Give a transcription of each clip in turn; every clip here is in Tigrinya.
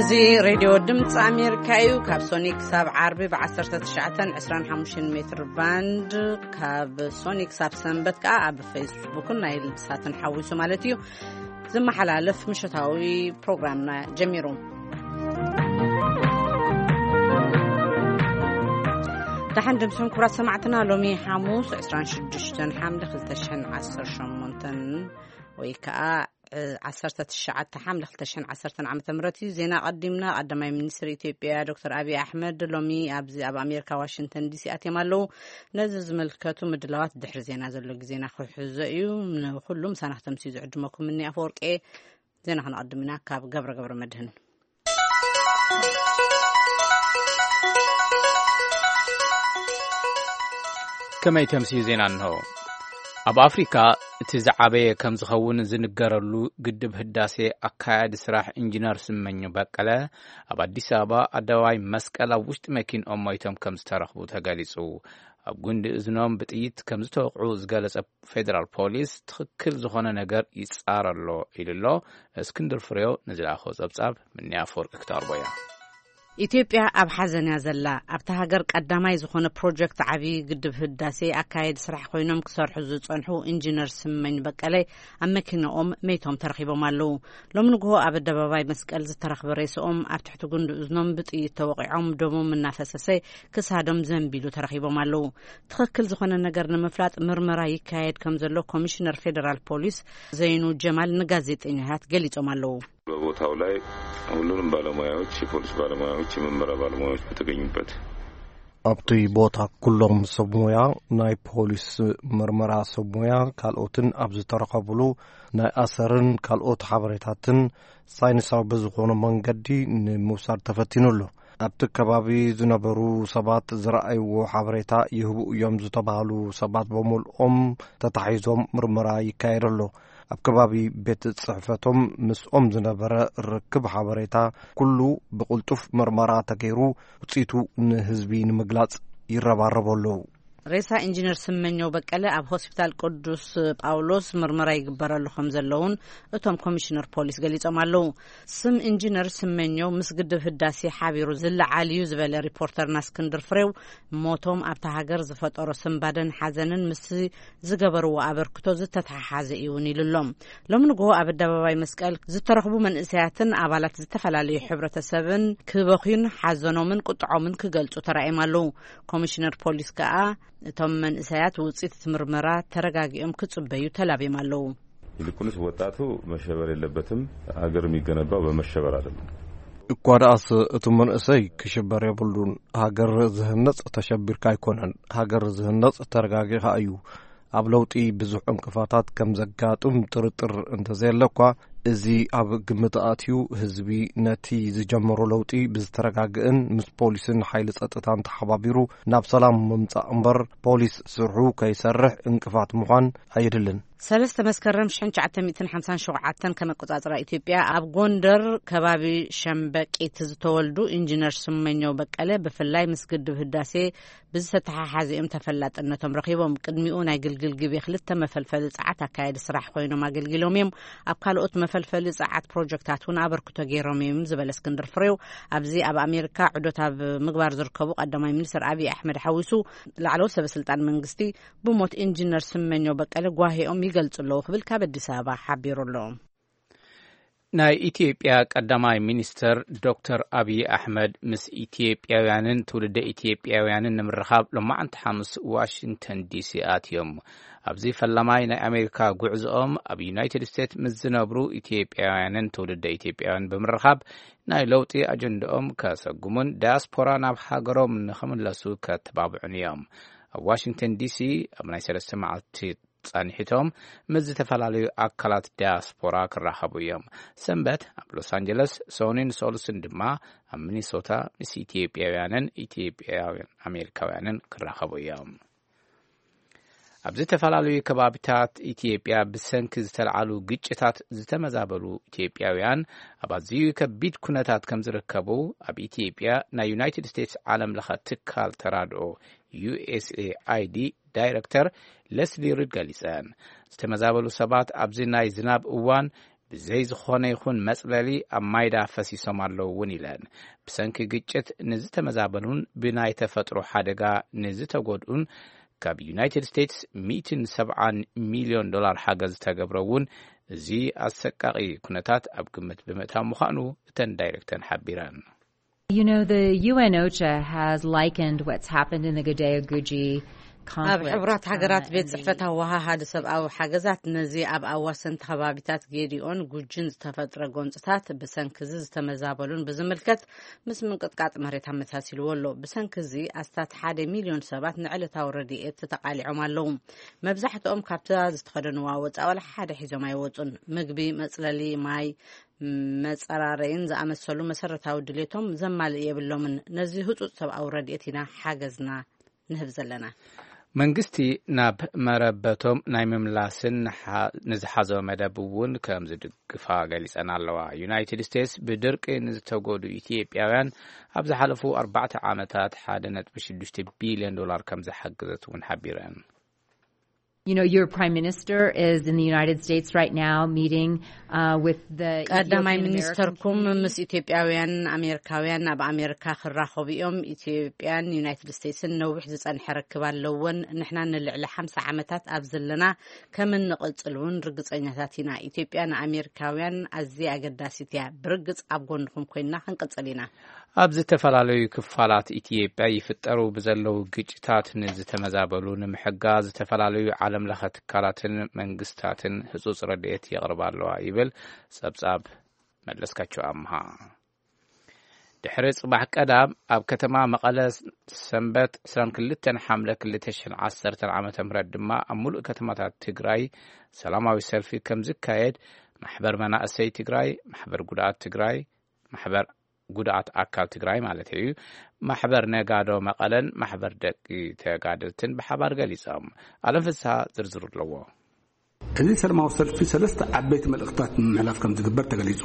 እዚ ሬድዮ ድምፂ ኣሜሪካ እዩ። ካብ ሶኒ ክሳብ ዓርቢ ብ19፣ 25 ሜትር ባንድ፣ ካብ ሶኒ ክሳብ ሰንበት ከዓ ኣብ ፌስቡክን ናይ ሳትን ሓዊሱ ማለት እዩ፣ ዝመሓላለፍ ምሸታዊ ፕሮግራምና ጀሚሩ። ደሓን ድምፅኹም ክቡራት ሰማዕትና። ሎሚ ሓሙስ 26 ሓምለ 2018 ወይ ከዓ እ፣ 19 ሓምለ 2010 ዓመተ ምህረት እዩ። ዜና ቀዲምና። ቀዳማይ ሚኒስትር ኢትዮጵያ ዶክተር ኣብይ ኣሕመድ ሎሚ ኣብዚ ኣብ ኣሜሪካ ዋሽንግተን ዲሲ ኣትዮም ኣለዉ። ነዚ ዝምልከቱ ምድላዋት ድሕሪ ዜና ዘሎ ግዜና ክሕዞ እዩ። ንኹሉ ምሳና ክተምስዩ ዝዕድመኩም እኒ ኣፈወርቄ። ዜና ክነቐድም ኢና ካብ ገብረ ገብረ መድህን። ከመይ ተምስዩ ዜና እንሆ። ኣብ ኣፍሪካ እቲ ዝዓበየ ከም ዝኸውን ዝንገረሉ ግድብ ህዳሴ ኣካያዲ ስራሕ ኢንጂነር ስመኘ በቀለ ኣብ ኣዲስ ኣበባ ኣደባባይ መስቀል ኣብ ውሽጢ መኪንኦም ሞይቶም ከም ዝተረኽቡ ተገሊጹ። ኣብ ጉንዲ እዝኖም ብጥይት ከም ዝተወቕዑ ዝገለጸ ፌደራል ፖሊስ ትኽክል ዝኾነ ነገር ይጻረ ኣሎ ኢሉ ኣሎ። እስክንድር ፍሬው ንዝለኣኾ ጸብጻብ ምንያ ኣፈወርቂ ክተቕርቦ እያ። ኢትዮጵያ ኣብ ሓዘን እያ ዘላ። ኣብታ ሃገር ቀዳማይ ዝኾነ ፕሮጀክት ዓብዪ ግድብ ህዳሴ ኣካየዲ ስራሕ ኮይኖም ክሰርሑ ዝጸንሑ ኢንጂነር ስመኝ በቀለ ኣብ መኪናኦም መይቶም ተረኺቦም ኣለዉ። ሎሚ ንግሆ ኣብ ኣደባባይ መስቀል ዝተረኽበ ሬስኦም ኣብ ትሕቲ ጉንዲ እዝኖም ብጥይት ተወቒዖም ደሞም እናፈሰሰ ክሳዶም ዘንቢሉ ተረኺቦም ኣለዉ። ትኽክል ዝኾነ ነገር ንምፍላጥ ምርመራ ይካየድ ከም ዘሎ ኮሚሽነር ፌደራል ፖሊስ ዘይኑ ጀማል ንጋዜጠኛታት ገሊጾም ኣለዉ። በቦታው ላይ ሁሉንም ባለሙያዎች፣ የፖሊስ ባለሙያዎች፣ የምርመራ ባለሙያዎች በተገኙበት። ኣብቲ ቦታ ኩሎም ሰብ ሞያ፣ ናይ ፖሊስ ምርመራ ሰብ ሞያ፣ ካልኦትን ኣብ ዝተረኸብሉ ናይ ኣሰርን ካልኦት ሓበሬታትን ሳይንሳዊ ብዝኾነ መንገዲ ንምውሳድ ተፈቲኑ ኣሎ። ኣብቲ ከባቢ ዝነበሩ ሰባት ዝረኣይዎ ሓበሬታ ይህቡ እዮም ዝተባህሉ ሰባት በሙልኦም ተታሒዞም ምርመራ ይካየድ ኣሎ። ኣብ ከባቢ ቤት ጽሕፈቶም ምስኦም ዝነበረ ርክብ ሓበሬታ ኩሉ ብቕልጡፍ ምርመራ ተገይሩ ውጽኢቱ ንህዝቢ ንምግላጽ ይረባረቡ ኣለዉ። ሬሳ ኢንጂነር ስመኘው በቀለ ኣብ ሆስፒታል ቅዱስ ጳውሎስ ምርመራ ይግበረሉ ከም ዘለውን እቶም ኮሚሽነር ፖሊስ ገሊጾም ኣለዉ። ስም ኢንጂነር ስመኘው ምስ ግድብ ህዳሴ ሓቢሩ ዝለዓል እዩ ዝበለ ሪፖርተርና እስክንድር ፍሬው፣ ሞቶም ኣብታ ሃገር ዝፈጠሮ ስንባደን ሓዘንን ምስ ዝገበርዎ ኣበርክቶ ዝተተሓሓዘ እዩ እውን ኢሉ ኣሎ። ሎሚ ንግሆ ኣብ ኣደባባይ መስቀል ዝተረኽቡ መንእሰያትን ኣባላት ዝተፈላለዩ ሕብረተሰብን ክበኽዩን ሓዘኖምን ቁጥዖምን ክገልጹ ተራእዮም ኣለዉ። ኮሚሽነር ፖሊስ ከኣ እቶም መንእሰያት ውጽኢት እቲ ምርመራ ተረጋጊኦም ክጽበዩ ተላብዮም ኣለዉ። ይልቁንስ ወጣቱ መሸበር የለበትም። ሀገር የሚገነባው በመሸበር አይደለም። እኳ ደኣስ እቲ መንእሰይ ክሽበር የብሉን። ሃገር ዝህነጽ ተሸቢርካ ኣይኮነን። ሃገር ዝህነጽ ተረጋጊኻ እዩ። ኣብ ለውጢ ብዙሕ ዕንቅፋታት ከም ዘጋጥም ጥርጥር እንተዘየለ እኳ፣ እዚ ኣብ ግምት ኣትዩ ህዝቢ ነቲ ዝጀመሮ ለውጢ ብዝተረጋግእን ምስ ፖሊስን ሓይሊ ጸጥታን ተሓባቢሩ ናብ ሰላም ምምጻእ እምበር ፖሊስ ስርሑ ከይሰርሕ ዕንቅፋት ምዃን ኣየድልን። ሰለስተ መስከረም ሽሕን ትሽዓተ ሚእትን ሓምሳን ሸውዓተን ከም ኣቆጻጽራ ኢትዮጵያ ኣብ ጎንደር ከባቢ ሸምበቂት ዝተወልዱ ኢንጂነር ስመኘው በቀለ ብፍላይ ምስ ግድብ ህዳሴ ብዝተተሓሓዘ እዮም ተፈላጥነቶም ረኺቦም። ቅድሚኡ ናይ ግልግል ግቤ ክልተ መፈልፈሊ ጸዓት ኣካያዲ ስራሕ ኮይኖም ኣገልጊሎም እዮም። ኣብ ካልኦት መፈልፈሊ ጸዓት ፕሮጀክታት እውን ኣበርክቶ ገይሮም እዮም ዝበለ እስክንድር ፍሬው፣ ኣብዚ ኣብ ኣሜሪካ ዑደት ኣብ ምግባር ዝርከቡ ቀዳማይ ሚኒስትር ኣብይ ኣሕመድ ሓዊሱ ላዕለዎት ሰበ ስልጣን መንግስቲ ብሞት ኢንጂነር ስመኘው በቀለ ጓሂኦም ይገልጹ ኣለዉ ክብል ካብ ኣዲስ ኣበባ ሓቢሩ ኣሎ። ናይ ኢትዮጵያ ቀዳማይ ሚኒስተር ዶክተር ኣብይ ኣሕመድ ምስ ኢትዮጵያውያንን ትውልደ ኢትዮጵያውያንን ንምርኻብ ሎማዕንቲ ሓሙስ ዋሽንግተን ዲሲ ኣትዮም። ኣብዚ ፈላማይ ናይ ኣሜሪካ ጉዕዞኦም ኣብ ዩናይትድ ስቴትስ ምስ ዝነብሩ ኢትዮጵያውያንን ትውልደ ኢትዮጵያውያን ብምርኻብ ናይ ለውጢ ኣጀንዳኦም ከሰጉሙን ዳያስፖራ ናብ ሃገሮም ንኽምለሱ ከተባብዑን እዮም። ኣብ ዋሽንግተን ዲሲ ኣብ ናይ ሰለስተ መዓልቲ ጸኒሒቶም ምስ ዝተፈላለዩ ኣካላት ዳያስፖራ ክራኸቡ እዮም። ሰንበት ኣብ ሎስ ኣንጀለስ፣ ሶኒን ሶሉስን ድማ ኣብ ሚኒሶታ ምስ ኢትዮጵያውያንን ኢትዮጵያውያን ኣሜሪካውያንን ክራኸቡ እዮም። ኣብ ዝተፈላለዩ ከባቢታት ኢትዮጵያ ብሰንኪ ዝተለዓሉ ግጭታት ዝተመዛበሉ ኢትዮጵያውያን ኣብ ኣዝዩ ከቢድ ኩነታት ከም ዝርከቡ ኣብ ኢትዮጵያ ናይ ዩናይትድ ስቴትስ ዓለም ለኸ ትካል ተራድኦ ዩ ኤስ ኤ ኣይ ዲ ዳይረክተር ሌስሊ ሪድ ገሊጸን። ዝተመዛበሉ ሰባት ኣብዚ ናይ ዝናብ እዋን ብዘይ ዝኾነ ይኹን መጽለሊ ኣብ ማይዳ ፈሲሶም ኣለዉ እውን ኢለን። ብሰንኪ ግጭት ንዝተመዛበሉን ብናይ ተፈጥሮ ሓደጋ ንዝተጎድኡን ካብ ዩናይትድ ስቴትስ ሚእትን ሰብዓን ሚልዮን ዶላር ሓገዝ ዝተገብረ እውን እዚ ኣሰቃቒ ኩነታት ኣብ ግምት ብምእታው ምዃኑ እተን ዳይሬክተር ሓቢረን። You know, the U N OCHA has likened what's happened in the Gadeo Guji ኣብ ሕቡራት ሃገራት ቤት ጽሕፈት ኣወሃሃዲ ሰብኣዊ ሓገዛት ነዚ ኣብ ኣዋሰንቲ ከባቢታት ጌዲኦን ጉጅን ዝተፈጥረ ጎንጽታት ብሰንክዚ ዝተመዛበሉን ብዝምልከት ምስ ምንቅጥቃጥ መሬት ኣመሳሲልዎ ኣሎ። ብሰንክዚ ኣስታት ሓደ ሚልዮን ሰባት ንዕለታዊ ረድኤት ተቃሊዖም ኣለዉ። መብዛሕትኦም ካብታ ዝተኸደንዋ ወጻኢ ዋላ ሓደ ሒዞም ኣይወጹን። ምግቢ፣ መጽለሊ፣ ማይ፣ መጸራረይን ዝኣመሰሉ መሰረታዊ ድሌቶም ዘማልእ የብሎምን። ነዚ ህጹጽ ሰብኣዊ ረድኤት ኢና ሓገዝና ንህብ ዘለና። መንግስቲ ናብ መረበቶም ናይ ምምላስን ንዝሓዞ መደብ እውን ከም ዝድግፋ ገሊጸን ኣለዋ። ዩናይትድ ስቴትስ ብድርቂ ንዝተጎዱ ኢትዮጵያውያን ኣብ ዝሓለፉ ኣርባዕተ ዓመታት ሓደ ነጥቢ ሽዱሽተ ቢልዮን ዶላር ከም ዝሓገዘት እውን ሓቢረን። You know, your prime minister is in the United States right now meeting uh, with the ቀዳማይ Ethiopian ሚኒስተርኩም American ምስ ኢትዮጵያውያን ኣሜሪካውያን ኣብ ኣሜሪካ ክራኸቡ እዮም። ኢትዮጵያን ዩናይትድ ስቴትስን ነዊሕ ዝጸንሐ ርክብ ኣለወን። ንሕና ንልዕሊ ሓምሳ ዓመታት ኣብ ዘለና ከም እንቕጽል እውን ርግጸኛታት ኢና። ኢትዮጵያ ንኣሜሪካውያን ኣዝያ ኣገዳሲት እያ። ብርግጽ ኣብ ጎንኹም ኮይንና ክንቅጽል ኢና። ኣብ ዝተፈላለዩ ክፋላት ኢትዮጵያ ይፍጠሩ ብዘለዉ ግጭታት ንዝተመዛበሉ ንምሕጋዝ ዝተፈላለዩ ዓለም ለኸ ትካላትን መንግስታትን ህጹጽ ረድኤት የቕርባ ኣለዋ ይብል ጸብጻብ መለስካቸው ኣምሃ። ድሕሪ ጽባሕ ቀዳም ኣብ ከተማ መቐለ ሰንበት ዕስራን ክልተን ሓምለ ክልተ ሽሕን ዓሰርተን ዓመተ ምህረት ድማ ኣብ ሙሉእ ከተማታት ትግራይ ሰላማዊ ሰልፊ ከም ዝካየድ ማሕበር መናእሰይ ትግራይ፣ ማሕበር ጉድኣት ትግራይ፣ ማሕበር ጉድኣት ኣካል ትግራይ ማለት እዩ፣ ማሕበር ነጋዶ መቐለን ማሕበር ደቂ ተጋደልትን ብሓባር ገሊጾም። ኣለም ፍስሃ ዝርዝሩ ኣለዎ። እዚ ሰላማዊ ሰልፊ ሰለስተ ዓበይቲ መልእኽታት ንምሕላፍ ከም ዝግበር ተገሊጹ።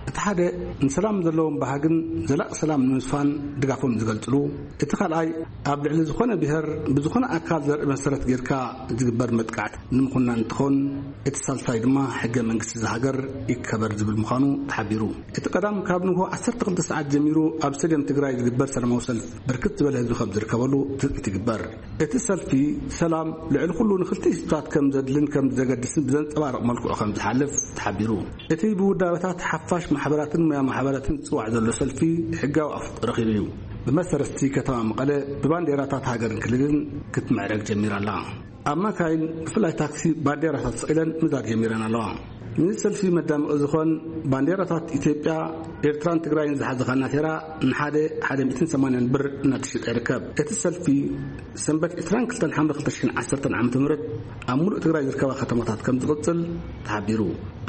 እቲ ሓደ ንሰላም ዘለዎም ባህግን ዘላቂ ሰላም ንምስፋን ድጋፎም ዝገልጽሉ፣ እቲ ካልኣይ ኣብ ልዕሊ ዝኾነ ብሔር ብዝኾነ ኣካል ዘርኢ መሰረት ጌርካ ዝግበር መጥቃዕቲ ንምኹናን እንትኾን፣ እቲ ሳልሳይ ድማ ሕገ መንግስቲ ዝሃገር ይከበር ዝብል ምዃኑ ተሓቢሩ። እቲ ቀዳም ካብ ንግሆ ዓሰርተ ክልተ ሰዓት ጀሚሩ ኣብ ስቴድየም ትግራይ ዝግበር ሰላማዊ ሰልፊ ብርክት ዝበለ ህዝቢ ከም ዝርከበሉ ትጽቢት ይግበር። እቲ ሰልፊ ሰላም ልዕሊ ኩሉ ንክልቲኡ ህዝብታት ከም ዘድልን ከም ዘገድስን ብዘንጸባርቕ መልክዑ ከም ዝሓልፍ ተሓቢሩ። እቲ ብውዳበታት ሓፋሽ ማሕበራትን ሞያ ማሕበራትን ዝጽዋዕ ዘሎ ሰልፊ ሕጋዊ ኣፍልጦ ረኺቡ እዩ። ብመሰረት እቲ ከተማ መቐለ ብባንዴራታት ሃገርን ክልልን ክትምዕረግ ጀሚራ ኣላ። ኣብ ማካይን ብፍላይ ታክሲ ባንዴራታት ሰቒለን ምዛር ጀሚረን ኣለዋ። ነዚ ሰልፊ መዳመቒ ዝኾን ባንዴራታት ኢትዮጵያ፣ ኤርትራን ትግራይን ዝሓዘ ካናቴራ ንሓደ ሓደ ሚእትን ሰማንያን ብር እናተሸጠ ይርከብ። እቲ ሰልፊ ሰንበት ዕስራን ክልተን ሓምለ ክልተ ሽሕን ዓሰርተን ዓመተ ምህረት ኣብ ሙሉእ ትግራይ ዝርከባ ከተማታት ከም ዝቕጽል ተሓቢሩ።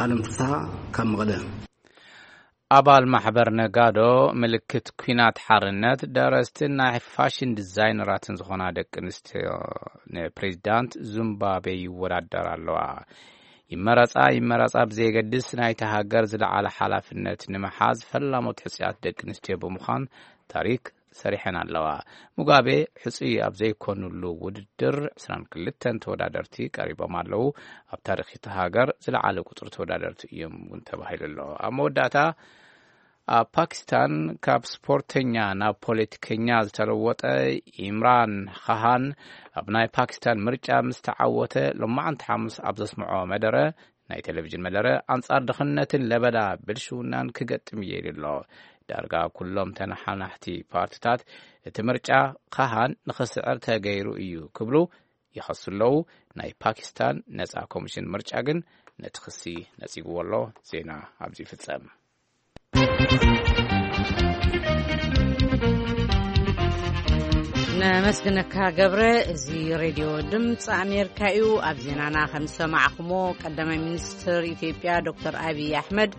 ኣለም ፍስሃ ካብ መቐለ። ኣባል ማሕበር ነጋዶ ምልክት ኲናት ሓርነት ደረስትን ናይ ፋሽን ዲዛይነራትን ዝኾና ደቂ ኣንስትዮ ንፕሬዚዳንት ዙምባቤ ይወዳደራ ኣለዋ። ይመረጻ ይመረጻ ብዘየገድስ ናይቲ ሃገር ዝለዓለ ሓላፍነት ንምሓዝ ፈላሞት ሕጽያት ደቂ ኣንስትዮ ብምዃን ታሪክ ሰሪሐን ኣለዋ። ሙጋቤ ሕጹይ ኣብ ዘይኮኑሉ ውድድር ዕስራን ክልተን ተወዳደርቲ ቀሪቦም ኣለዉ። ኣብ ታሪኽ እቲ ሃገር ዝለዓለ ቁጽሪ ተወዳደርቲ እዮም እውን ተባሂሉ ኣሎ። ኣብ መወዳእታ ኣብ ፓኪስታን ካብ ስፖርተኛ ናብ ፖለቲከኛ ዝተለወጠ ኢምራን ኻሃን ኣብ ናይ ፓኪስታን ምርጫ ምስ ተዓወተ ሎማዓንቲ ሓሙስ ኣብ ዘስምዖ መደረ ናይ ቴሌቪዥን መደረ ኣንጻር ድኽነትን ለበዳ ብልሽውናን ክገጥም እየ ኢሉ ኣሎ። ዳርጋ ኩሎም ተነሓናሕቲ ፓርቲታት እቲ ምርጫ ካሃን ንኽስዕር ተገይሩ እዩ ክብሉ ይኸሱ ኣለዉ። ናይ ፓኪስታን ነጻ ኮሚሽን ምርጫ ግን ነቲ ክሲ ነጺግዎ ኣሎ። ዜና ኣብዚ ይፍጸም። ነመስግነካ ገብረ። እዚ ሬድዮ ድምፂ ኣሜሪካ እዩ። ኣብ ዜናና ከም ዝሰማዕኩሞ ቀዳማይ ሚኒስትር ኢትዮጵያ ዶክተር ኣብይ ኣሕመድ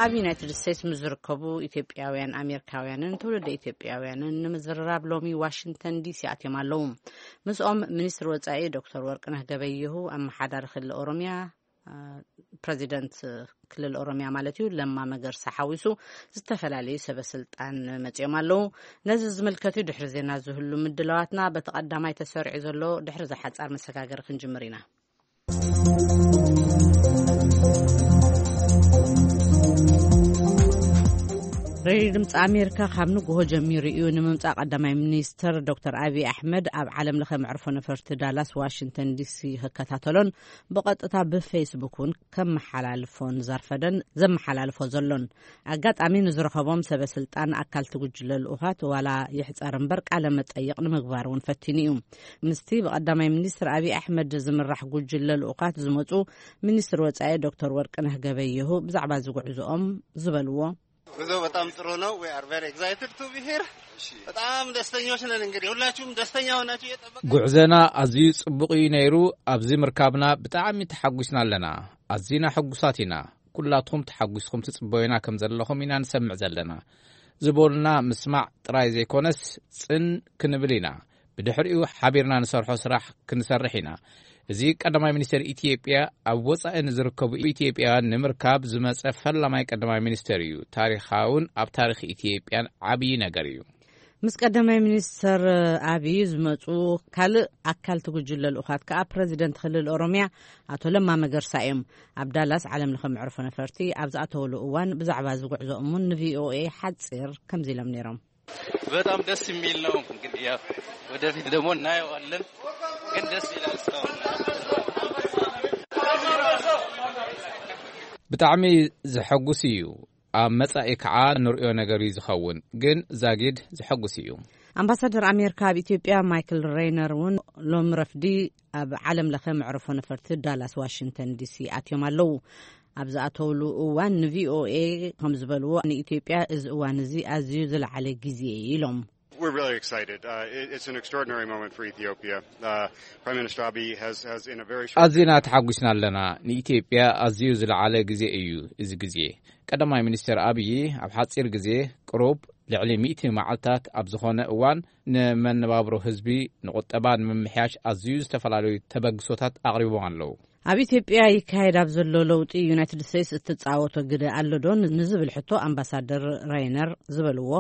ኣብ ዩናይትድ ስቴትስ ምስ ዝርከቡ ኢትዮጵያውያን ኣሜሪካውያንን ትውልደ ኢትዮጵያውያንን ንምዝርራብ ሎሚ ዋሽንግተን ዲሲ ኣትዮም ኣለዉ። ምስኦም ሚኒስትር ወፃኢ ዶክተር ወርቅነህ ገበየሁ፣ ኣመሓዳሪ ክልል ኦሮሚያ ፕረዚደንት ክልል ኦሮሚያ ማለት እዩ ለማ መገርሳ ሓዊሱ ዝተፈላለዩ ሰበ ስልጣን መፂኦም ኣለዉ። ነዚ ዝምልከት እዩ ድሕሪ ዜና ዝህሉ ምድላዋትና በቲ ቀዳማይ ተሰሪዑ ዘሎ ድሕሪ ዝሓፃር መሰጋገሪ ክንጅምር ኢና። ሬድዮ ድምፂ ኣሜሪካ ካብ ንግሆ ጀሚሩ እዩ ንምምፃእ ቀዳማይ ሚኒስትር ዶክተር ኣብይ ኣሕመድ ኣብ ዓለም ለኸ መዕርፎ ነፈርቲ ዳላስ ዋሽንግተን ዲሲ ክከታተሎን ብቐጥታ ብፌስቡክ እውን ከመሓላልፎን ዘርፈደን ዘመሓላልፎ ዘሎን። ኣጋጣሚ ንዝረኸቦም ሰበ ስልጣን ኣካል ትጉጅለ ልኡኻት ዋላ ይሕፀር እምበር ቃለ መጠይቕ ንምግባር እውን ፈቲኑ እዩ። ምስቲ ብቐዳማይ ሚኒስትር ኣብይ ኣሕመድ ዝምራሕ ጉጅለ ልኡኻት ዝመፁ ሚኒስትር ወፃኢ ዶክተር ወርቅነህ ገበየሁ ብዛዕባ ዝጉዕዝኦም ዝበልዎ። ጉዞ በጣም ጥሩ ነው። We are very excited to be here. በጣም ደስተኞች ነን። እንግዲህ ሁላችሁም ደስተኛ ሆናችሁ እየጠበቃችሁ። ጉዕዘና ኣዝዩ ጽቡቕ እዩ ነይሩ። ኣብዚ ምርካብና ብጣዕሚ ተሓጒስና ኣለና። ኣዝና ሕጉሳት ኢና። ኩላትኩም ተሓጒስኩም ትጽበዩና ከም ዘለኹም ኢና ንሰምዕ ዘለና። ዝበሉና ምስማዕ ጥራይ ዘይኮነስ ጽን ክንብል ኢና። ብድሕሪኡ ሓቢርና ንሰርሖ ስራሕ ክንሰርሕ ኢና። እዚ ቀዳማይ ሚኒስትር ኢትዮጵያ ኣብ ወጻኢ ንዝርከቡ ኢትዮጵያውያን ንምርካብ ዝመጸ ፈላማይ ቀዳማይ ሚኒስትር እዩ። ታሪኻውን ኣብ ታሪኽ ኢትዮጵያን ዓብዪ ነገር እዩ። ምስ ቀዳማይ ሚኒስትር ኣብይ ዝመጹ ካልእ ኣካል ትጉጅለ ልኡኻት ከኣ ፕረዚደንት ክልል ኦሮሚያ ኣቶ ለማ መገርሳ እዮም። ኣብ ዳላስ ዓለም ለኸ መዕርፎ ነፈርቲ ኣብ ዝኣተውሉ እዋን ብዛዕባ ዝጉዕዞኦም እውን ንቪኦኤ ሓጺር ከምዚ ኢሎም ነይሮም። በጣም ደስ የሚል ነው። እንግዲህ ያው ወደፊት ደግሞ እናየዋለን፣ ግን ደስ ይላል እስካሁን። ብጣዕሚ ዘሐጉስ እዩ። ኣብ መጻኢ ከዓ ንርእዮ ነገር እዩ ዝኸውን፣ ግን ዛጊድ ዘሐጉስ እዩ። ኣምባሳደር ኣሜሪካ ኣብ ኢትዮጵያ ማይክል ሬይነር እውን ሎም ረፍዲ ኣብ ዓለም ለኸ መዕርፎ ነፈርቲ ዳላስ ዋሽንግተን ዲሲ ኣትዮም ኣለዉ። ኣብ ዝኣተውሉ እዋን ንቪኦኤ ከም ዝበልዎ ንኢትዮጵያ እዚ እዋን እዚ ኣዝዩ ዝለዓለ ግዜ እዩ ኢሎም። We're really excited. Uh, it- it's an extraordinary moment for Ethiopia. Uh, Prime Minister Abiy has, has in a very short ኣዝና ተሓጒስና ኣለና። ንኢትዮጵያ ኣዝዩ ዝለዓለ ግዜ እዩ እዚ ግዜ። ቀዳማይ ሚኒስትር ኣብይ ኣብ ሓጺር ግዜ ቅሩብ ልዕሊ ሚእቲ መዓልታት ኣብ ዝኾነ እዋን ንመነባብሮ ህዝቢ ንቁጠባ ንምምሕያሽ ኣዝዩ ዝተፈላለዩ ተበግሶታት ኣቕሪቦም ኣለዉ። ኣብ ኢትዮጵያ ይካየድ ኣብ ዘሎ ለውጢ ዩናይትድ ስቴትስ እትጻወቶ ግደ ኣሎ ዶ ንዝብል ሕቶ ኣምባሳደር ራይነር ዝበልዎ።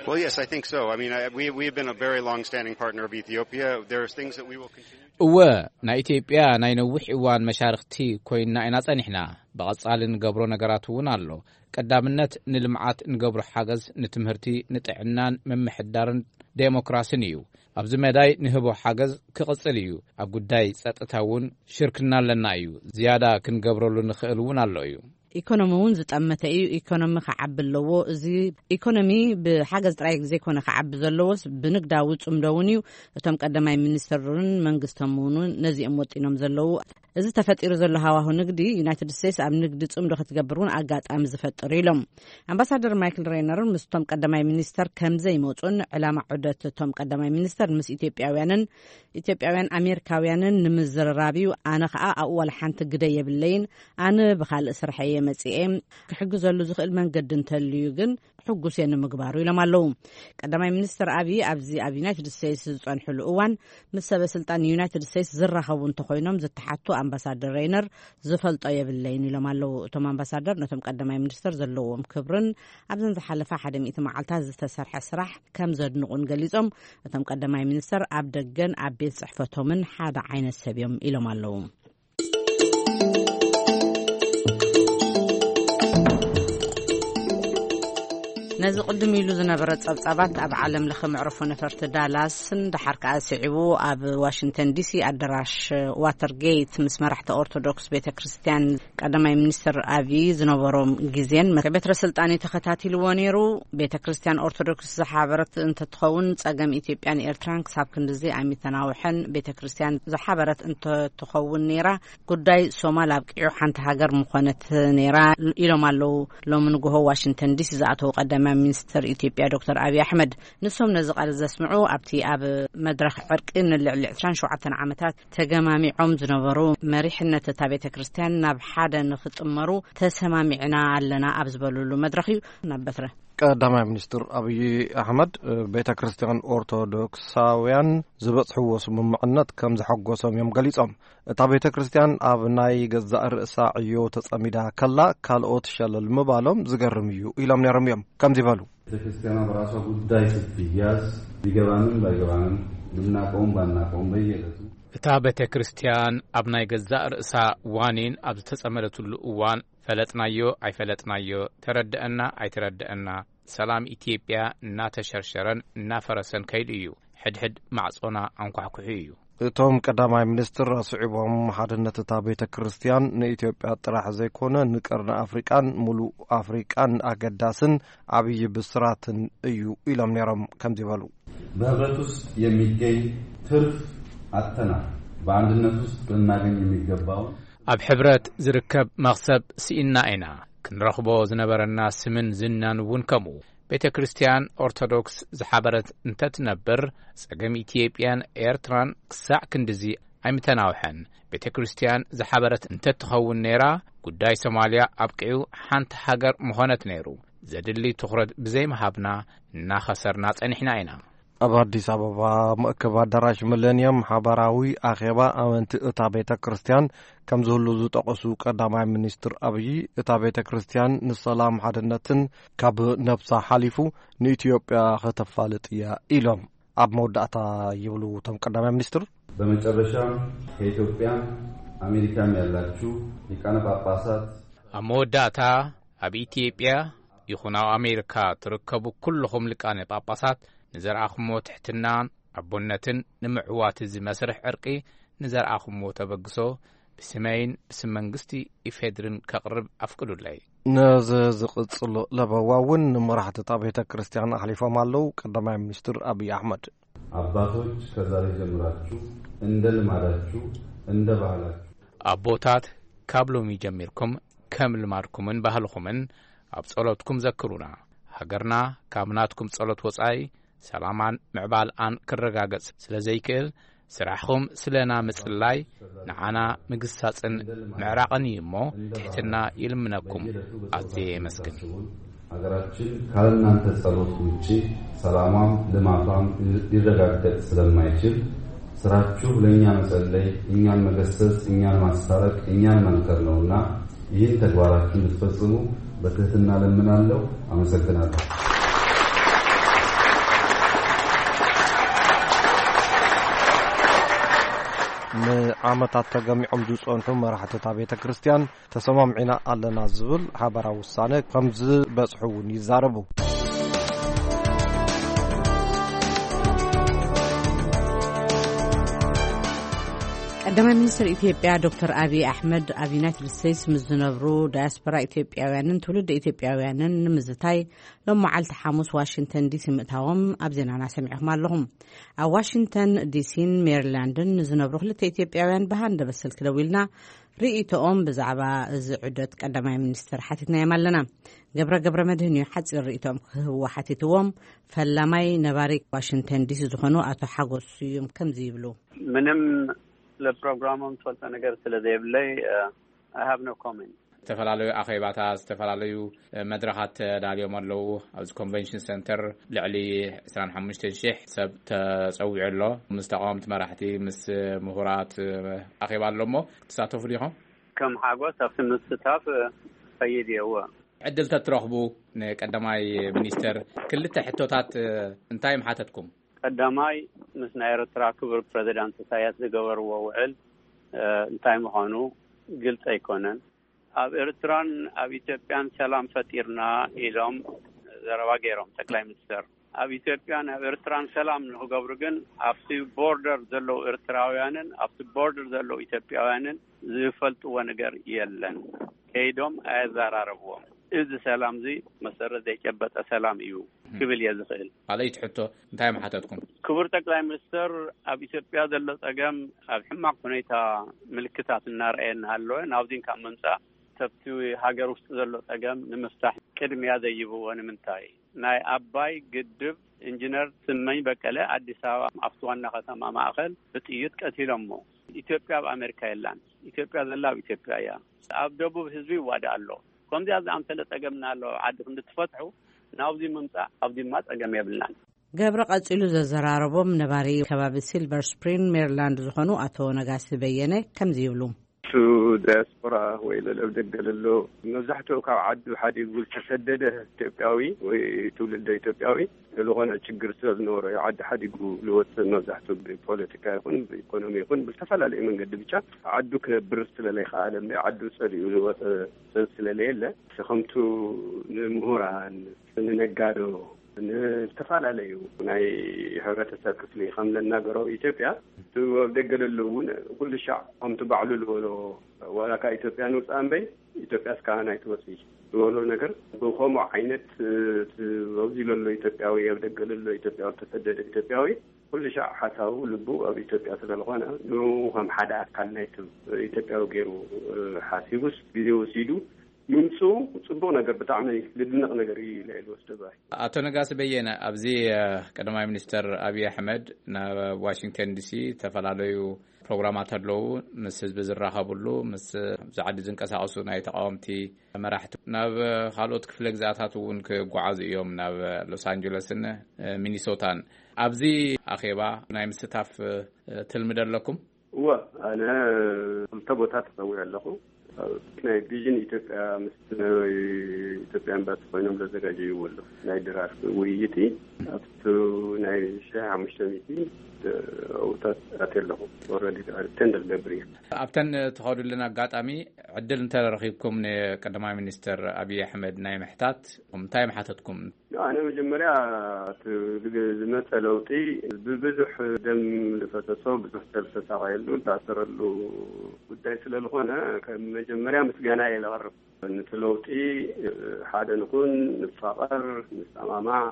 Well, yes, I think so. I mean, I, we, we've been a very long-standing partner of Ethiopia. There's things that we will continue. እወ፣ ናይ ኢትዮጵያ ናይ ነዊሕ እዋን መሻርክቲ ኮይንና ኢና ጸኒሕና። ብቐጻሊ ንገብሮ ነገራት እውን ኣሎ። ቀዳምነት ንልምዓት ንገብሮ ሓገዝ ንትምህርቲ፣ ንጥዕናን ምምሕዳርን ዴሞክራስን እዩ። ኣብዚ መዳይ ንህቦ ሓገዝ ክቕጽል እዩ። ኣብ ጉዳይ ጸጥታ እውን ሽርክና ኣለና እዩ። ዝያዳ ክንገብረሉ ንኽእል እውን ኣሎ እዩ። ኢኮኖሚ እውን ዝጠመተ እዩ። ኢኮኖሚ ክዓቢ ኣለዎ። እዚ ኢኮኖሚ ብሓገዝ ጥራይ ዘይኮነ ክዓቢ ዘለዎስ ብንግዳዊ ጽምዶ እውን እዩ። እቶም ቀዳማይ ሚኒስትርን መንግስቶም እውን ነዚኦም ወጢኖም ዘለዉ። እዚ ተፈጢሩ ዘሎ ሃዋሁ ንግዲ ዩናይትድ ስቴትስ ኣብ ንግዲ ጽምዶ ክትገብር እውን ኣጋጣሚ ዝፈጥር ኢሎም። ኣምባሳደር ማይክል ሬይነር ምስቶም ቀዳማይ ሚኒስተር ከም ዘይመጹን ዕላማ ዑደት እቶም ቀዳማይ ሚኒስተር ምስ ኢትዮጵያውያንን ኢትዮጵያውያን ኣሜሪካውያንን ንምዝርራብ እዩ። ኣነ ኸኣ ኣብኡ ዋላ ሓንቲ ግደ የብለይን። ኣነ ብኻልእ ስርሐ እየ መጺኤ። ክሕግዘሉ ዝኽእል መንገዲ እንተልዩ ግን ሕጉስ እየ ንምግባሩ ኢሎም ኣለዉ። ቀዳማይ ሚኒስትር ኣብይ ኣብዚ ኣብ ዩናይትድ ስቴትስ ዝጸንሕሉ እዋን ምስ ሰበ ስልጣን ዩናይትድ ስቴትስ ዝራኸቡ እንተኾይኖም ዝተሓቱ ኣምባሳደር ሬይነር ዝፈልጦ የብለይን ኢሎም ኣለዉ። እቶም ኣምባሳደር ነቶም ቀዳማይ ሚኒስትር ዘለዎም ክብርን ኣብዘን ዝሓለፋ ሓደ ሚእቲ መዓልታት ዝተሰርሐ ስራሕ ከም ዘድንቑን ገሊጾም፣ እቶም ቀዳማይ ሚኒስትር ኣብ ደገን ኣብ ቤት ጽሕፈቶምን ሓደ ዓይነት ሰብ እዮም ኢሎም ኣለዉ። ነዚ ቅድም ኢሉ ዝነበረ ጸብጻባት ኣብ ዓለም ለኸ መዕርፎ ነፈርቲ ዳላስን ደሓር ከኣ ስዒቡ ኣብ ዋሽንግተን ዲሲ ኣደራሽ ዋተርጌት ምስ መራሕቲ ኦርቶዶክስ ቤተ ክርስቲያን ቀዳማይ ሚኒስትር ኣብይ ዝነበሮም ግዜን ቤትረ ስልጣን ተኸታቲልዎ ነይሩ። ቤተ ክርስቲያን ኦርቶዶክስ ዝሓበረት እንተትኸውን ጸገም ኢትዮጵያን ኤርትራን ክሳብ ክንድዚ ኣይምተናውሐን። ቤተ ክርስቲያን ዝሓበረት እንተትኸውን ነይራ ጉዳይ ሶማል ኣብቂዑ ሓንቲ ሃገር ምኾነት ነይራ ኢሎም ኣለዉ። ሎሚ ንግሆ ዋሽንግተን ዲሲ ዝኣተዉ ቀዳማይ ሚኒስትር ኢትዮጵያ ዶክተር ኣብይ ኣሕመድ። ንሶም ነዚ ቃል ዘስምዑ ኣብቲ ኣብ መድረኽ ዕርቂ ንልዕሊ ዕስራን ሸውዓተን ዓመታት ተገማሚዖም ዝነበሩ መሪሕነት እታ ቤተ ክርስቲያን ናብ ሓደ ንኽጥመሩ ተሰማሚዕና ኣለና ኣብ ዝበሉሉ መድረኽ እዩ። ናብ በትረ ቀዳማይ ሚኒስትር ኣብይ ኣሕመድ ቤተ ክርስቲያን ኦርቶዶክሳውያን ዝበጽሕዎ ስምምዕነት ከም ዘሐጎሶም እዮም ገሊጾም። እታ ቤተ ክርስቲያን ኣብ ናይ ገዛእ ርእሳ ዕዮ ተጸሚዳ ከላ ካልኦት ሸለል ምባሎም ዝገርም እዩ ኢሎም ነይሮም እዮም። ከምዚ በሉ። ቤተክርስቲያኗ በራሷ ጉዳይ ስትያዝ ቢገባንም ባይገባንም ብናቀውም ባናቀውም በየዕለቱ እታ ቤተ ክርስቲያን ኣብ ናይ ገዛእ ርእሳ ዋኒን ኣብ ዝተጸመደትሉ እዋን ፈለጥናዮ ኣይፈለጥናዮ፣ ተረድአና ኣይተረድአና፣ ሰላም ኢትዮጵያ እናተሸርሸረን እናፈረሰን ከይዱ እዩ። ሕድሕድ ማዕጾና ኣንኳሕኩሑ እዩ። እቶም ቀዳማይ ሚኒስትር ኣስዒቦም፣ ሓድነት እታ ቤተ ክርስቲያን ንኢትዮጵያ ጥራሕ ዘይኮነ፣ ንቀርኒ ኣፍሪቃን ሙሉእ ኣፍሪቃን ኣገዳስን ዓብዪ ብስራትን እዩ ኢሎም ነይሮም። ከምዚ በሉ። በህብረት ውስጥ የሚገኝ ትርፍ አጥተናል። በአንድነት ውስጥ ልናገኝ የሚገባውን ኣብ ሕብረት ዝርከብ መኽሰብ ስኢና ኢና። ክንረኽቦ ዝነበረና ስምን ዝናን እውን ከምኡ። ቤተ ክርስቲያን ኦርቶዶክስ ዝሓበረት እንተትነብር፣ ጸገም ኢትዮጵያን ኤርትራን ክሳዕ ክንድዚ ኣይምተናውሐን። ቤተ ክርስቲያን ዝሓበረት እንተትኸውን ነይራ፣ ጉዳይ ሶማልያ ኣብቂዑ፣ ሓንቲ ሃገር ምኾነት ነይሩ። ዘድሊ ትኹረት ብዘይምሃብና እናኸሰርና ጸኒሕና ኢና። ኣብ ኣዲስ ኣበባ መእከብ ኣዳራሽ ሚሌንየም ሓባራዊ ኣኼባ ኣመንቲ እታ ቤተ ክርስቲያን ከም ዝህሉ ዝጠቐሱ ቀዳማይ ሚኒስትር ኣብዪ፣ እታ ቤተ ክርስቲያን ንሰላም ሓድነትን ካብ ነብሳ ሓሊፉ ንኢትዮጵያ ከተፋልጥ እያ ኢሎም። ኣብ መወዳእታ ይብሉ እቶም ቀዳማይ ሚኒስትር። በመጨረሻም ከኢትዮጵያም አሜሪካም ያላችሁ ሊቃነ ጳጳሳት ኣብ መወዳእታ ኣብ ኢትዮጵያ ይኹን ኣብ ኣሜሪካ ትርከቡ ኩልኹም ሊቃነ ጳጳሳት ንዘርኣኹሞ ትሕትናን ኣቦነትን ንምዕዋት እዚ መስርሕ ዕርቂ ንዘርኣኹሞ ተበግሶ ብስመይን ብስም መንግስቲ ኢፌድርን ከቕርብ ኣፍቅዱለይ። ነዚ ዝቕጽሉ ለበዋ እውን ንመራሕቲ እታ ቤተ ክርስቲያን ኣሕሊፎም ኣለዉ። ቀዳማይ ሚኒስትር ኣብይ ኣሕመድ። አባቶች ከዛሬ ጀምራችሁ እንደ ልማዳችሁ እንደ ባህላችሁ ኣቦታት ካብ ሎሚ ጀሚርኩም ከም ልማድኩምን ባህልኹምን ኣብ ጸሎትኩም ዘክሩና። ሃገርና ካብ ናትኩም ጸሎት ወጻኢ ሰላማን ምዕባልኣን ክረጋገጽ ስለ ዘይክእል፣ ስራሕኹም ስለና ምጽላይ ንዓና ምግሳጽን ምዕራቕን እዩ እሞ ትሕትና ይልምነኩም። ኣዝየ የመስግን። ሀገራችን ካለእናንተ ጸሎት ውጪ ሰላሟም ልማቷም ሊረጋገጥ ስለማይችል ስራችሁ ለእኛ መጸለይ፣ እኛን መገሰጽ፣ እኛን ማስታረቅ፣ እኛን መምከር ነውና ይህን ተግባራችሁን ልትፈጽሙ በትህትና ለምናለሁ። አመሰግናለሁ። ንዓመታት ተገሚዖም ዝጸንሑ መራሕቲ እታ ቤተ ክርስቲያን ተሰማምዒና ኣለና ዝብል ሓባራዊ ውሳነ ከም ዝበጽሑ እውን ይዛረቡ። ቀዳማይ ሚኒስትር ኢትዮጵያ ዶክተር ኣብይ ኣሕመድ ኣብ ዩናይትድ ስቴትስ ምስ ዝነብሩ ዳያስፖራ ኢትዮጵያውያንን ትውልደ ኢትዮጵያውያንን ንምዝታይ ሎም መዓልቲ ሓሙስ ዋሽንግተን ዲሲ ምእታዎም ኣብ ዜናና ሰሚዕኹም ኣለኹም። ኣብ ዋሽንግተን ዲሲን ሜሪላንድን ንዝነብሩ ክልተ ኢትዮጵያውያን ብሃንደበት ስልኪ ደዊልና ርእይቶኦም ብዛዕባ እዚ ዑደት ቀዳማይ ሚኒስትር ሓቲትናዮም ኣለና። ገብረ ገብረ መድህን እዩ ሓጺር ርእይቶኦም ክህብዎ ሓቲትዎም። ፈላማይ ነባሪ ዋሽንግተን ዲሲ ዝኾኑ ኣቶ ሓጎስ ስዩም ከምዚ ይብሉ። ምንም ለፕሮግራሞም ትፈልጦ ነገር ስለ ዘይብለይ I have no comment። ዝተፈላለዩ ኣኼባታት፣ ዝተፈላለዩ መድረኻት ተዳልዮም ኣለዉ። ኣብዚ ኮንቨንሽን ሰንተር ልዕሊ ዕስራን ሓሙሽተን ሽሕ ሰብ ተጸዊዑ ኣሎ። ምስ ተቃወምቲ መራሕቲ፣ ምስ ምሁራት ኣኼባ ኣሎ እሞ ክትሳተፉ ዲኹም? ከም ሓጎስ ኣብቲ ምስታፍ ኸይድ እየ። እወ። ዕድል ተትረኽቡ ንቀዳማይ ሚኒስተር ክልተ ሕቶታት እንታይ ምሓተትኩም? ቀዳማይ፣ ምስ ናይ ኤርትራ ክቡር ፕረዚዳንት ኢሳያስ ዝገበርዎ ውዕል እንታይ ምዃኑ ግልጺ ኣይኮነን። ኣብ ኤርትራን ኣብ ኢትዮጵያን ሰላም ፈጢርና ኢሎም ዘረባ ገይሮም ጠቅላይ ሚኒስተር። ኣብ ኢትዮጵያን ኣብ ኤርትራን ሰላም ንኽገብሩ ግን ኣብቲ ቦርደር ዘለዉ ኤርትራውያንን ኣብቲ ቦርደር ዘለዉ ኢትዮጵያውያንን ዝፈልጥዎ ነገር የለን። ከይዶም ኣየዘራረብዎም። እዚ ሰላም እዚ መሰረት ዘይጨበጠ ሰላም እዩ ክብል እየ ዝኽእል። ካልኣይቲ ሕቶ እንታይ ምሓተትኩም? ክቡር ጠቅላይ ሚኒስተር፣ ኣብ ኢትዮጵያ ዘሎ ጸገም ኣብ ሕማቕ ሁኔታ ምልክታት እናረኣየ እናሃለወ ናብዚን ካብ ምምጻእ ሰብቲ ሃገር ውስጥ ዘሎ ጸገም ንምፍታሕ ቅድሚያ ዘይብዎ ንምንታይ? ናይ ኣባይ ግድብ ኢንጂነር ስመኝ በቀለ ኣዲስ ኣበባ ኣብቲ ዋና ከተማ ማእኸል ብጥይት ቀቲሎሞ። ኢትዮጵያ ኣብ ኣሜሪካ የላን። ኢትዮጵያ ዘላ ኣብ ኢትዮጵያ እያ። ኣብ ደቡብ ህዝቢ ይዋዳእ ኣሎ። ከምዚኣ ዝኣምሰለ ጸገምና ኣሎ ዓዲ ክንዲ ትፈትሑ ናብዚ ምምጻእ ኣብዚማ ጸገም የብልናን። ገብረ ቀጺሉ ዘዘራረቦም ነባሪ ከባቢ ሲልቨር ስፕሪንግ ሜሪላንድ ዝኾኑ ኣቶ ነጋሲ በየነ ከምዚ ይብሉ። To ዳያስፖራ ወይ ለለብ ደገ ለሎ፣ መብዛሕትኡ ካብ ዓዱ ሓዲጉ ዝተሰደደ ኢትዮጵያዊ ወይ ትውልደ ኢትዮጵያዊ፣ ዝኾነ ችግር ስለ ዝነበሮ እዩ ዓዲ ሓዲጉ ዝወፅእ። መብዛሕትኡ ብፖለቲካ ይኹን ብኢኮኖሚ ይኹን ብዝተፈላለየ መንገዲ ብቻ ዓዱ ክነብር ስለለይከኣለ፣ ዓዱ ፀሊኡ ዝወፀ ሰብ ስለለየለ፣ ከምቱ ንምሁራን፣ ንነጋዶ፣ ንዝተፈላለዩ ናይ ሕብረተሰብ ክፍሊ ከም ለናገሮ ኢትዮጵያ፣ እቲ ኣብ ደገ ለሎ እውን ኩሉ ሻዕ ከምቲ ባዕሉ ዝበሎ ዋላ ካብ ኢትዮጵያ ንውፃእ እምበይ ኢትዮጵያ እስካን ኣይትወፅእ ዝበሎ ነገር ብከምኡ ዓይነት፣ እቲ ኣብዚ ለሎ ኢትዮጵያዊ፣ ኣብ ደገ ለሎ ኢትዮጵያዊ፣ ዝተሰደደ ኢትዮጵያዊ ኩሉ ሻዕ ሓሳቡ ልቡ ኣብ ኢትዮጵያ ስለዝኾነ፣ ንኡ ከም ሓደ ኣካል ናይቲ ኢትዮጵያዊ ገይሩ ሓሲቡስ ግዜ ወሲዱ ምምፅኡ ፅቡቕ ነገር፣ ብጣዕሚ ልድነቕ ነገር እዩ ኢለ እየ ዝወስዶ። ኣቶ ነጋሲ በየነ፣ ኣብዚ ቀዳማይ ሚኒስተር ኣብይ ኣሕመድ ናብ ዋሽንግተን ዲሲ ዝተፈላለዩ ፕሮግራማት ኣለዉ፣ ምስ ህዝቢ ዝራኸብሉ፣ ምስ ኣብዚ ዓዲ ዝንቀሳቐሱ ናይ ተቃወምቲ መራሕቲ፣ ናብ ካልኦት ክፍለ ግዛታት እውን ክጓዓዙ እዮም፣ ናብ ሎስ ኣንጀለስን ሚኒሶታን። ኣብዚ ኣኼባ ናይ ምስታፍ ትልሚ ዶ ኣለኩም? እወ፣ ኣነ ክልተ ቦታ ተጸዊዐ ኣለኹ። ናይ ቪዥን ኢትዮጵያ ምስ ናይ ኢትዮጵያ ኤምባሲ ኮይኖም ዘዘጋጀይዎ ኣለኹ። ናይ ድራር ውይይት ኣብቲ ናይ ሺሕ ሓሙሽተ ሚእቲ ኣብታት ኣትየ ኣለኹ። ኦልሬዲ ቴንደር ገብር እየ። ኣብተን ትኸዱልን ኣጋጣሚ ዕድል እንተረኺብኩም ንቀዳማይ ሚኒስትር ኣብይ ኣሕመድ ናይ ምሕታት እንታይ ምሓተትኩም? ኣነ መጀመርያ እቲ ዝመፀ ለውጢ ብብዙሕ ደም ዝፈሰሶ፣ ብዙሕ ሰብ ዝተሳቀየሉ፣ ዝተኣሰረሉ ጉዳይ ስለዝኾነ፣ ከም መጀመርያ ምስጋና እየ ለቕርብ። ነቲ ለውጢ ሓደ ንኹን፣ ንፋቐር፣ ንሰማማዕ፣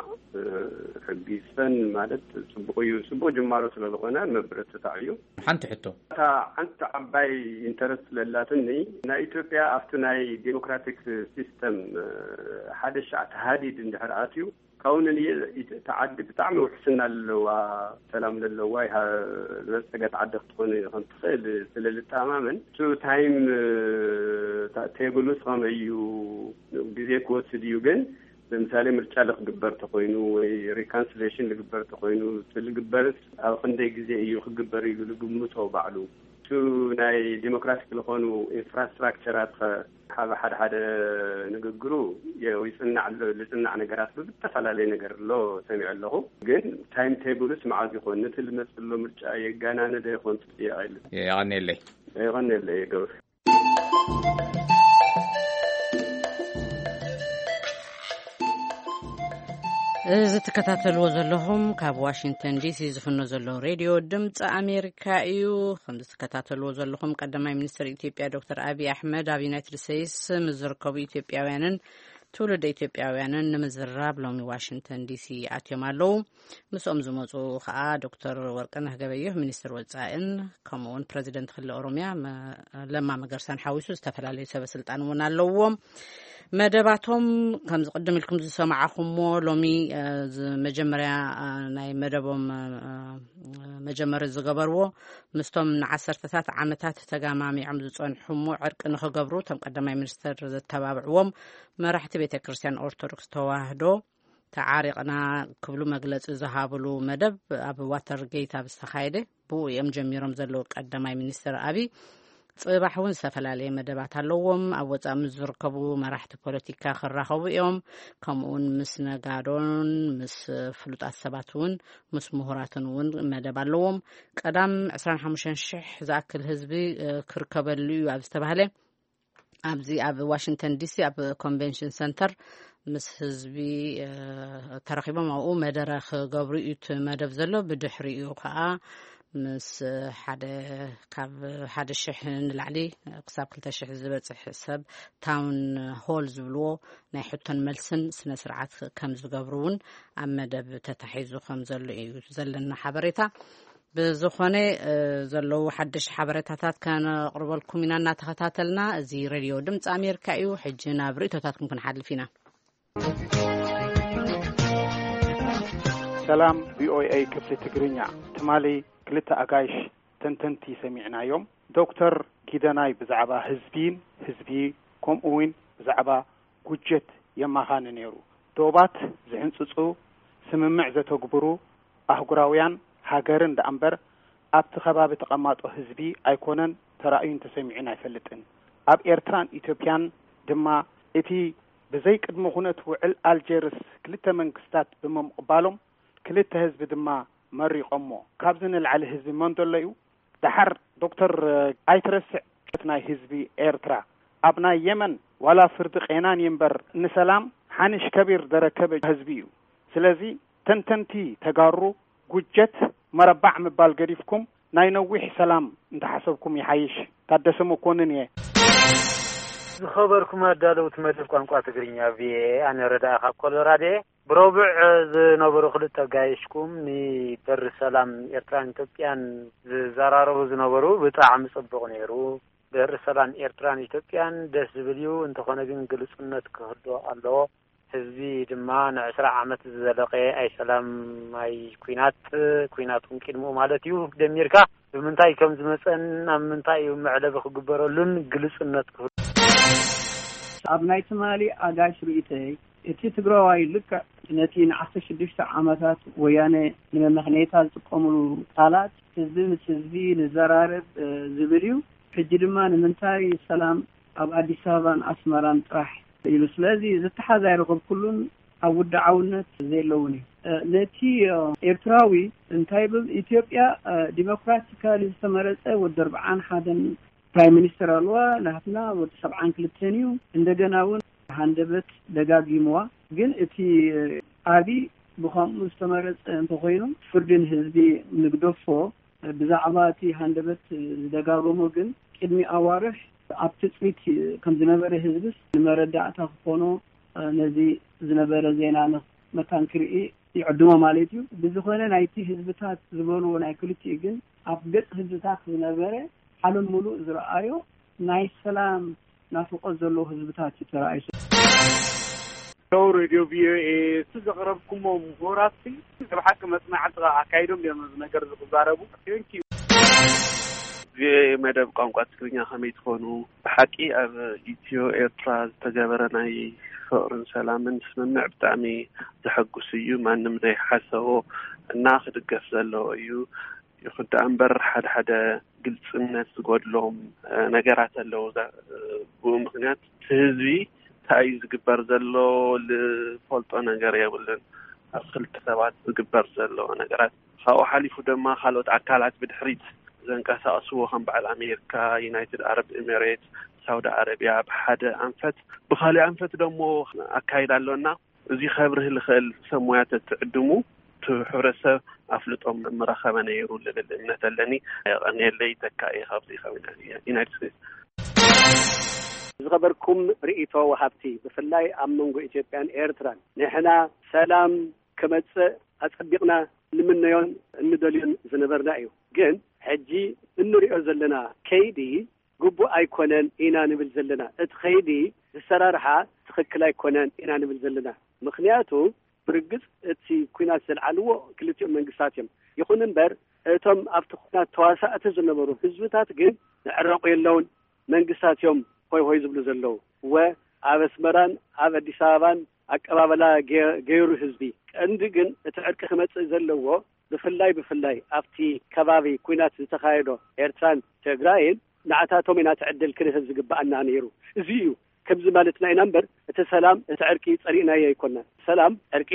ሕጊ ይስፈን ማለት ጽቡቕ እዩ። ጽቡቕ ጅማሮ ስለዝኾነ መበረታታዕ እዩ። ሓንቲ ሕቶ። እታ ሓንቲ ዓባይ ኢንተረስት ስለላትኒ፣ ናይ ኢትዮጵያ ኣብቲ ናይ ዴሞክራቲክ ሲስተም ሓደ ሻዕ ተሃዲድ እንድሕር ኣትዩ፣ ካብኡ ንልየ እቲ ዓዲ ብጣዕሚ ውሕስና ለለዋ፣ ሰላም ለለዋ፣ ይሃ-፣ ዝበልጸገት ዓዲ ክትኾን ከም ትኽእል ስለ ልተኣማመን፣ እቲ ታይም ታ-፣ ቴብሉስ ከመይ እዩ? ግዜ ክወስድ እዩ፣ ግን ለምሳሌ ምርጫ ልክግበር ተኾይኑ ወይ ሪካንስሌሽን ልግበር ተኾይኑ፣ እቲ ልግበርስ ኣብ ክንደይ ግዜ እዩ ክግበር ኢሉ ልግምቶ ባዕሉ። እቱ ናይ ዲሞክራቲክ ዝኾኑ ኢንፍራስትራክቸራት ኸ፣ ሓደ ሓደ ሓደ ንግግሩ የ-፣ ይጽናዕ ኣሎ፣ ልጽናዕ ነገራት ብዝተፈላለየ ነገር ኣሎ ሰሚዐ ኣለኹ። ግን ታይም ቴብልስ መዓዝ ይኾን? ነቲ ልመጽእ ዘሎ ምርጫ የጋናነ ዶ ይኾን? ጽጽየ ኣይልን። የቐንየለይ። የቐንየለይ ገብር። እዚ ትከታተልዎ ዘለኹም ካብ ዋሽንግተን ዲሲ ዝፍኖ ዘሎ ሬድዮ ድምፂ ኣሜሪካ እዩ። ከም ዝትከታተልዎ ዘለኹም ቀዳማይ ሚኒስትር ኢትዮጵያ ዶክተር ኣብይ ኣሕመድ ኣብ ዩናይትድ ስቴትስ ምስ ዝርከቡ ኢትዮጵያውያንን ትውልደ ኢትዮጵያውያንን ንምዝራብ ሎሚ ዋሽንግተን ዲሲ ኣትዮም ኣለዉ። ምስኦም ዝመፁ ከዓ ዶክተር ወርቅነህ ገበየሁ ሚኒስትር ወፃኢን ከምኡ እውን ፕረዚደንት ክልል ኦሮሚያ መ-፣ ለማ መገርሳን ሓዊሱ ዝተፈላለዩ ሰበ ስልጣን እውን ኣለውዎም። መደባቶም ከምዚ ቅድም ኢልኩም ዝሰማዕኹምዎ ሎሚ፣ እ፣ ዝ-፣ መጀመርያ፣ እ፣ ናይ መደቦም፣ እ፣ መጀመሪ ዝገበርዎ ምስቶም ንዓሰርተታት ዓመታት ተጋማሚዖም ዝጸንሑ እሞ ዕርቂ ንኽገብሩ እቶም ቀዳማይ ሚኒስትር ዘተባብዕዎም መራሕቲ ቤተ ክርስቲያን ኦርቶዶክስ ተዋህዶ ተዓሪቕና ክብሉ መግለጺ ዝሃብሉ መደብ ኣብ ዋተርጌት ኣብ ዝተኻየደ ብኡ እዮም ጀሚሮም ዘለዉ። ቀዳማይ ሚኒስትር ኣብይ ጽባሕ እውን ዝተፈላለየ መደባት ኣለዎም። ኣብ ወጻኢ ምስ ዝርከቡ መራሕቲ ፖለቲካ ክራኸቡ እዮም። ከምኡውን ምስ ነጋዶን ምስ ፍሉጣት ሰባት እውን ምስ ምሁራትን እውን መደብ ኣለዎም። ቀዳም ዕስራን ሓሙሽተን ሽሕ ዝኣክል ህዝቢ፣ እ፣ ክርከበሉ እዩ ኣብ ዝተባህለ ኣብዚ ኣብ ዋሽንግተን ዲሲ ኣብ ኮንቬንሽን ሰንተር ምስ ህዝቢ፣ እ፣ ተረኺቦም ኣብኡ መደረ ክገብሩ እዩ እቲ መደብ ዘሎ። ብድሕሪኡ ከዓ ምስ ሓደ፣ ካብ ሓደ ሽሕ ንላዕሊ ክሳብ ክልተ ሽሕ ዝበፅሕ ሰብ ታውን ሆል ዝብልዎ ናይ ሕቶን መልስን ስነ ስርዓት ከም ዝገብሩ እውን ኣብ መደብ ተታሒዙ ከም ዘሎ እዩ ዘለና ሓበሬታ። ብዝኾነ፣ እ፣ ዘለዉ ሓደሽቲ ሓበሬታታት ከነቕርበልኩም ኢና እናተኸታተልና። እዚ ሬድዮ ድምፂ ኣሜሪካ እዩ። ሕጂ ናብ ርእይቶታትኩም ክንሓልፍ ኢና። ሰላም ቪኦኤ ክፍሊ ትግርኛ። ትማሊ ክልተ ኣጋይሽ ተንተንቲ ሰሚዕናዮም። ዶክተር ጊደናይ ብዛዕባ ህዝቢን ህዝቢ፣ ከምኡ እውን ብዛዕባ ጉጀት የማኻኒ ነይሩ። ዶባት ዝሕንጽጹ፣ ስምምዕ ዘተግብሩ ኣህጉራውያን ሃገርን ደኣ እምበር ኣብቲ ከባቢ ተቐማጦ ህዝቢ ኣይኮነን ተራእዩን ተሰሚዑን ኣይፈልጥን። ኣብ ኤርትራን ኢትዮጵያን ድማ እቲ ብዘይ ቅድመ ኩነት ውዕል ኣልጀርስ ክልተ መንግስታት ብምቕባሎም ክልተ ህዝቢ ድማ መሪቖሞ። ካብዚ ንላዕሊ ህዝቢ መን ዘሎ እዩ? ደሓር ዶክተር ኣይትረስዕ ናይ ህዝቢ ኤርትራ ኣብ ናይ የመን ዋላ ፍርዲ ቄናን እምበር ንሰላም ሓንሽ ከቢር ደረከበ ህዝቢ እዩ። ስለዚ ተንተንቲ ተጋሩ ጉጀት መረባዕ ምባል ገዲፍኩም ናይ ነዊሕ ሰላም እንተሓሰብኩም ይሓይሽ። ታደሰ መኮንን እየ። ዝኸበርኩም ኣዳለውቲ መደብ ቋንቋ ትግርኛ ቪኦኤ፣ ኣነ ረዳኢ ካብ ኮሎራዶ እየ። ብረቡዕ ዝነበሩ ክልተ ኣጋይሽኩም ንበሪ ሰላም ኤርትራን ኢትዮጵያን ዝዘራረቡ ዝነበሩ ብጣዕሚ ጽቡቕ ነይሩ። በሪ ሰላም ኤርትራን ኢትዮጵያን ደስ ዝብል እዩ፣ እንተኾነ ግን ግልጽነት ክህልዎ ኣለዎ። ህዝቢ ድማ ንዕስራ ዓመት ዝዘለቐ ኣይ ሰላም ኣይ ኲናት፣ ኲናት እውን ቅድሚኡ ማለት እዩ፣ ደሚርካ ብምንታይ ከም ዝመጸን ኣብ ምንታይ እዩ መዕለቢ ክግበረሉን ግልጽነት ክህሉ። ኣብ ናይ ትማሊ ኣጋይሽ ርእይተይ፣ እቲ ትግራዋይ ልክዕ ነቲ ንዓሰርተ ሽዱሽተ ዓመታት ወያነ ንመመኽነይታ ዝጥቀምሉ ቃላት፣ ህዝቢ ምስ ህዝቢ ንዘራረብ፣ እ፣ ዝብል እዩ። ሕጂ ድማ ንምንታይ ሰላም ኣብ ኣዲስ ኣበባን ኣስመራን ጥራሕ ኢሉ። ስለዚ ዝተሓዝ ኣይረኸብኩሉን፣ ኣብ ውድዓውነት ዘየለውን እዩ። እ፣ ነቲ፣ እ፣ ኤርትራዊ እንታይ ብል፣ ኢትዮጵያ፣ እ፣ ዲሞክራቲካሊ ዝተመረጸ ወዲ ኣርብዓን ሓደን ፕራይም ሚኒስተር ኣለዋ፣ ናትና ወዲ ሰብዓን ክልተን እዩ። እንደገና እውን ሃንደበት ደጋጊምዋ። ግን እቲ፣ እ፣ ኣቢ ብኸምኡ ዝተመረጸ እንተኾይኑ፣ ፍርድን ህዝቢ ንግደፎ። ብዛዕባ እቲ ሃንደበት ዝደጋገሞ ግን፣ ቅድሚ ኣዋርሕ ኣብ ትጽቢት ከም ዝነበረ ህዝብስ ንመረዳእታ ክኾኖ፣ ነዚ ዝነበረ ዜና መታን ክርኢ ይዕድሞ ማለት እዩ። ብዝኾነ፣ ናይቲ ህዝብታት ዝበልዎ ናይ ክልቲኡ ግን፣ ኣብ ገጽ ህዝብታት ዝነበረ ሓሎም ምሉእ ዝረኣዮ ናይ ሰላም ናፍቖት ዘለዎ ህዝብታት እዩ ተራእዩ። ሄሎ ሬድዮ ቪኦኤ፣ እቲ ዘቕረብኩሞ ምሁራትሲ ናይ ብሓቂ መጽናዕቲ ኣካይዶም ድዮም ነዚ ነገር ዝዛረቡ? ቴንኪዩ። ቪኦኤ መደብ ቋንቋ ትግርኛ፣ ከመይ ትኾኑ? ብሓቂ ኣብ ኢትዮ ኤርትራ ዝተገበረ ናይ ፍቕርን ሰላምን ስምምዕ ብጣዕሚ ዘሐጉስ እዩ። ማንም ዘይሓሰቦ እና ክድገፍ ዘለዎ እዩ። ይኹን ደኣ እምበር፣ ሓደ ሓደ ግልጽነት ዝጎድሎም፣ እ፣ ነገራት ኣለዉ። እዛ፣ እ፣ ብኡ ምኽንያት እቲ ህዝቢ እንታይ እዩ ዝግበር ዘሎ ዝፈልጦ ነገር የብሉን። ኣብ ክልተ ሰባት ዝግበር ዘሎ ነገራት፣ ካብኡ ሓሊፉ ድማ ካልኦት ኣካላት ብድሕሪት ዘንቀሳቕስዎ፣ ከም በዓል ኣሜሪካ፣ ዩናይትድ ኣረብ ኤሚሬትስ፣ ሳውዲ ዓረብያ ብሓደ ኣንፈት፣ ብኻሊእ ኣንፈት ደሞ ኣካይዳ ኣሎና። እዚ ከብርህ ዝኽእል ሰብ ሞያ ተትዕድሙ፣ እቲ ሕብረተሰብ ኣፍልጦ ምረኸበ ነይሩ ዝብል እምነት ኣለኒ። የቐንየለይ። ተካ እየ ካብዚ ካብ ዩናይትድ ስቴትስ። ዝኸበርኩም ርእይቶ ወሃብቲ፣ ብፍላይ ኣብ መንጎ ኢትዮጵያን ኤርትራን፣ ንሕና ሰላም ክመጽእ ኣጸቢቕና ንምነዮን እንደልዮን ዝነበርና እዩ። ግን ሕጂ እንሪኦ ዘለና ከይዲ ግቡእ ኣይኮነን ኢና ንብል ዘለና። እቲ ከይዲ ዝሰራርሓ ትኽክል ኣይኮነን ኢና ንብል ዘለና። ምኽንያቱ ብርግጽ እቲ ኲናት ዘልዓልዎ ክልቲኦም መንግስታት እዮም። ይኹን እምበር እቶም ኣብቲ ኲናት ተዋሳእቲ ዝነበሩ ህዝብታት ግን ንዕረቑ የለውን መንግስታት እዮም ሆይ ሆይ ዝብሉ ዘለዉ። እወ ኣብ ኣስመራን ኣብ ኣዲስ ኣበባን ኣቀባበላ ገ-፣ ገይሩ ህዝቢ። ቀንዲ ግን እቲ ዕርቂ ክመጽእ ዘለዎ ብፍላይ ብፍላይ ኣብቲ ከባቢ ኲናት ዝተኻየዶ ኤርትራን ትግራይን ንዓታቶም ኢና እቲ ዕድል ክንህብ ዝግብኣና ነይሩ። እዚ እዩ። ከምዚ ማለትና ኢና እምበር እቲ ሰላም፣ እቲ ዕርቂ ጸሊእናዮ ኣይኮናን። ሰላም፣ ዕርቂ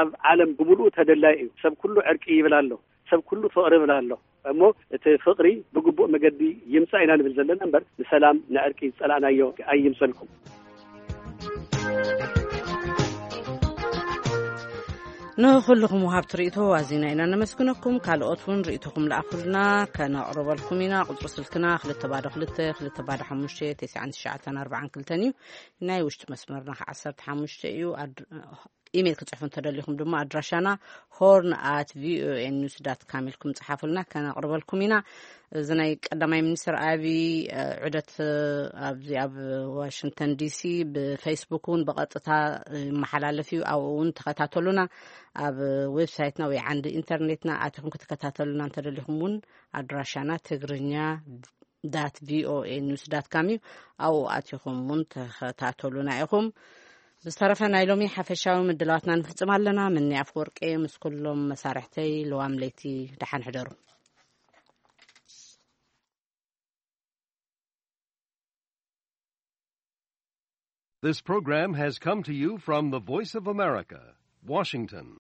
ኣብ ዓለም ብምሉኡ ተደላይ እዩ። ሰብ ኩሉ ዕርቂ ይብል ኣሎ። ሰብ ኩሉ ፍቕሪ ይብል ኣሎ። እሞ እቲ ፍቕሪ ብግቡእ መገዲ ይምጻእ ኢና ንብል ዘለና እምበር ንሰላም ንዕርቂ ዝጸላእናዮ ኣይምሰልኩም። ንኹልኹም ወሃብቲ ርእይቶ ኣዚና ኢና ነመስግነኩም። ካልኦት እውን ርእይቶኹም ለኣኹልና፣ ከነቕርበልኩም ኢና። ቁጽሪ ስልክና ክልተ ባዶ ክልተ፣ ክልተ ባዶ ሓሙሽተ፣ ተስዓን ትሽዓተን ኣርባዓን ክልተን እዩ። ናይ ውሽጢ መስመርና ከኣ ዓሰርተ ሓሙሽተ እዩ። ኣድ-፣ ኢሜይል ክጽሕፉ እንተደሊኹም ድማ ኣድራሻና ሆርን ኣት ቪኦኤ ኒውስ ዳት ካም ኢልኩም ጽሓፉልና፣ ከነቕርበልኩም ኢና። እዚ ናይ ቀዳማይ ሚኒስትር ኣቢ፣ እ፣ ዑደት፣ እ፣ ኣብዚ ኣብ ዋሽንግተን ዲሲ ብፌስቡክ እውን ብቐጥታ ይመሓላለፍ እዩ። ኣብኡ እውን ተኸታተሉና። ኣብ ዌብሳይትና ወይ ዓንዲ ኢንተርኔትና ኣቲኹም ክትከታተሉና እንተደሊኹም እውን ኣድራሻና ትግርኛ ዳት ቪኦኤ ኒውስ ዳት ካም እዩ። ኣብኡ ኣቲኹም እውን ተኸታተሉና ኢኹም። ብዝተረፈ ናይ ሎሚ ሓፈሻዊ ምድላዋትና ንፍጽም ኣለና። ምኒ ኣፍወርቂ ምስ ኩሎም መሳርሕተይ ልዋም ለይቲ ደሓን ሕደሩ። This program has come to you from the Voice of America, Washington.